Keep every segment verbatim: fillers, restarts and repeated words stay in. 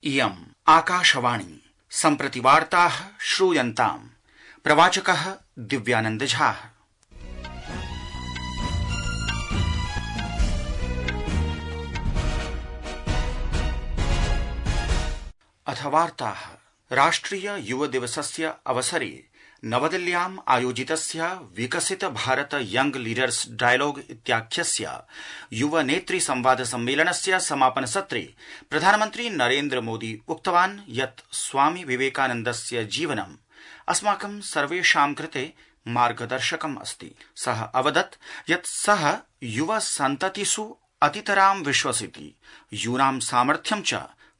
इयम् आकाशवाणी सम्प्रति वार्ताः श्रूयन्ताम्। प्रवाचकः दिव्यानंद झा। अथ वार्ताः। राष्ट्रिय युव दिवसस्य अवसरे नवदिल्ल्याम् आयोजितस्य विकसित भारत यंग लीडर्स डायलॉग इत्याख्यस्य युव नेतृ संवाद सम्मेलनस्य समापन सत्रे प्रधानमन्त्री नरेन्द्र मोदी उक्तवान् यत् स्वामी विवेकानन्दस्य जीवनम् अस्माकं सर्वेषां कृते मार्गदर्शकम् अस्ति। सः अवदत् यत् सः युव सन्ततिषु अतितरां विश्वसिति, यूनां सामर्थ्यं च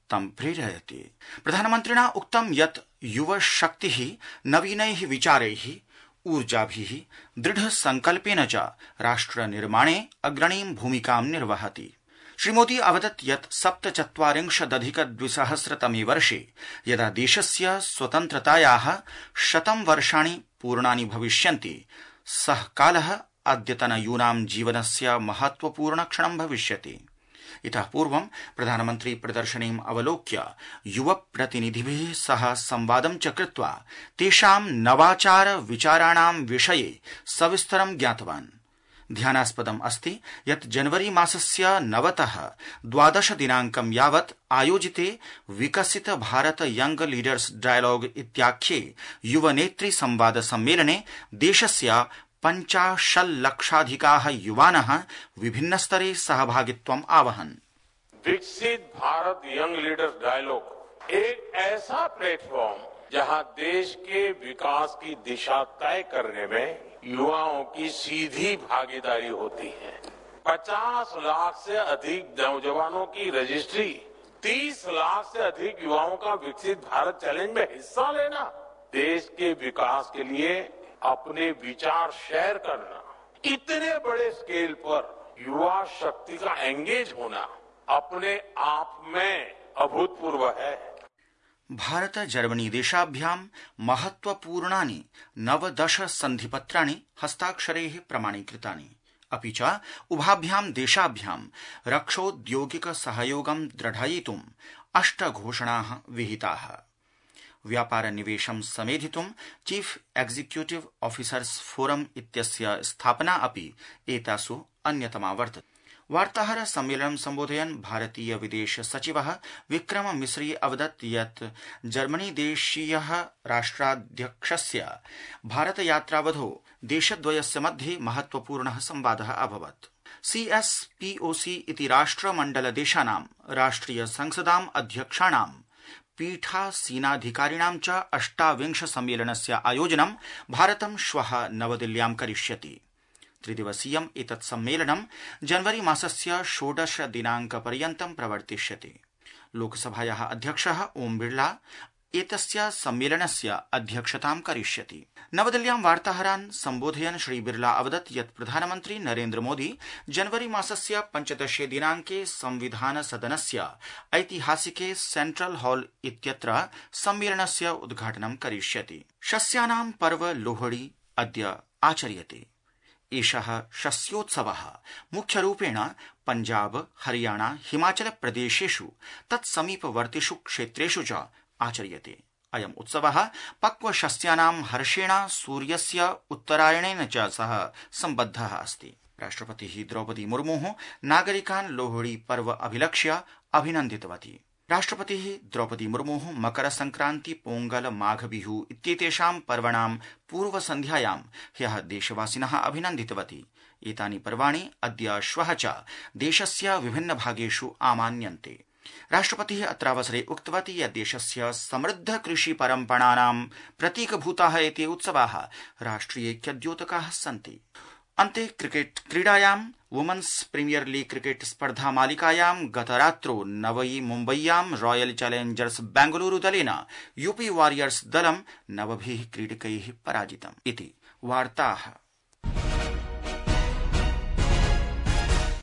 तं प्रेरयति। प्रधानमन्त्रिणा उक्तं यत् युव शक्तिः नवीनैः विचारैः, ऊर्जाभिः, दृढ संकल्पेन च राष्ट्र निर्माणे अग्रणीं भूमिकां निर्वहति। श्रीमोदी अवदत् यत् सप्तचत्वारिंशदधिक द्विसहस्रतमे वर्षे यदा देशस्य स्वतन्त्रतायाः शतं वर्षाणि पूर्णानि भविष्यन्ति, सः कालः अद्यतनयूनां जीवनस्य महत्वपूर्ण क्षणं भविष्यति। इतः पूर्वं प्रधानमन्त्री प्रदर्शनीम् अवलोक्य युव प्रतिनिधिभिः सह संवादं च कृत्वा तेषां नवाचार विचाराणां विषये सविस्तरं ज्ञातवान्। ध्यानास्पदम् अस्ति यत् जनवरी मासस्य नवतः द्वादश दिनाङ्कं यावत् आयोजिते विकसित भारत यंग लीडर्स डायलॉग इत्याख्ये युवनेतृ संवाद सम्मेलने देशस्य पञ्चाशल्लक्षाधिकाः युवानः विभिन्न स्तरे सहभागित्वम् आवहन्। विकसित भारत यंग लीडर्स डायलॉग एक ऐसा प्लेटफॉर्म जहां देश के विकास की दिशा तय करने में युवाओं की सीधी भागीदारी होती है। पचास लाख से अधिक नौजवानों की रजिस्ट्री, तीस लाख से अधिक युवाओं का विकसित भारत चैलेंज में हिस्सा लेना, देश के विकास के लिए अपने विचार शेयर करना, इतने बड़े स्केल पर युवा शक्ति का एंगेज होना अपने आप में अभूतपूर्व है। भारत जर्मनी देशाभ्यां महत्वपूर्णानि नवदश सन्धिपत्राणि हस्ताक्षरैः प्रमाणीकृतानि। अपि च उभाभ्यां देशाभ्यां रक्षोद्योगिक सहयोगं दृढयितुम् अष्ट घोषणाः विहिताः। व्यापार निवेशं समेधितुं चीफ एक्जिक्यूटिव ऑफिसर्स फोरम इत्यस्य स्थापना अपि एतासु अन्यतमा वर्तते। वार्ताहर सम्मेलनं सम्बोधयन् भारतीय विदेश सचिवः विक्रम मिस्री अवदत् यत् जर्मनी देशीयः राष्ट्राध्यक्षस्य भारत यात्रावधौ देशद्वयस्य मध्ये महत्वपूर्णः संवादः अभवत्। सीएसपीओसी इति राष्ट्रमण्डलदेशानां राष्ट्रिय संसदाम् अध्यक्षाणां पीठासीनाधिकारिणां च अष्टाविंश सम्मेलनस्य आयोजनं भारतं श्वः नवदिल्ल्यां करिष्यति। त्रिदिवसीयम् एतत् सम्मेलनं जनवरी मासस्य षोडश दिनाङ्कपर्यन्तं प्रवर्तिष्यति। लोकसभायाः अध्यक्षः ओम बिड़ला एतस्य सम्मेलनस्य अध्यक्षतां करिष्यति। नवदिल्ल्यां वार्ताहरान् सम्बोधयन् श्री बिड़ला अवदत् यत् प्रधानमन्त्री नरेन्द्र मोदी जनवरी मासस्य पञ्चदशे दिनाङ्के संविधान सदनस्य ऐतिहासिके सेंट्रल हॉल इत्यत्र सम्मेलनस्य उद्घाटनं करिष्यति। शस्यानां पर्व लोहड़ी अद्य आचर्यते। एषः शस्योत्सवः मुख्यरूपेण पञ्जाब, हरियाणा, हिमाचल प्रदेशेषु तत्समीपवर्तिषु क्षेत्रेषु च आचर्यते। अयम् उत्सवः पक्वशस्यानां हर्षेण सूर्यस्य उत्तरायणेन च सह सम्बद्धः अस्ति। राष्ट्रपतिः द्रौपदी मुर्मुः नागरिकान् लोहड़ी पर्व अभिलक्ष्य अभिनन्दितवती। राष्ट्रपतिः द्रौपदी मुर्मुः मकर संक्रांति, पोंगल, माघ बिहु इत्येतेषां पर्वणां पूर्वसन्ध्यायां ह्यः देशवासिनः अभिनन्दितवती। एतानि पर्वाणि अद्य श्वः च देशस्य विभिन्न भागेषु आमान्यन्ते। राष्ट्रपतिः अत्रावसरे उक्तवती यत् देशस्य समृद्ध कृषि परम्पराणां प्रतीकभूताः एते उत्सवाः राष्ट्रियैक्यद्योतकाः सन्ति। अन्ते क्रिकेट क्रीडायां वुमेन्स प्रीमियर लीग क्रिकेट स्पर्धा मालिकायां गतरात्रौ नवई मुम्बय्यां रॉयल चैलेंजर्स बेंगलुरु दलेन यूपी वॉरियर्स दलं नवभिः क्रीडकैः पराजितम् इति वार्ताः।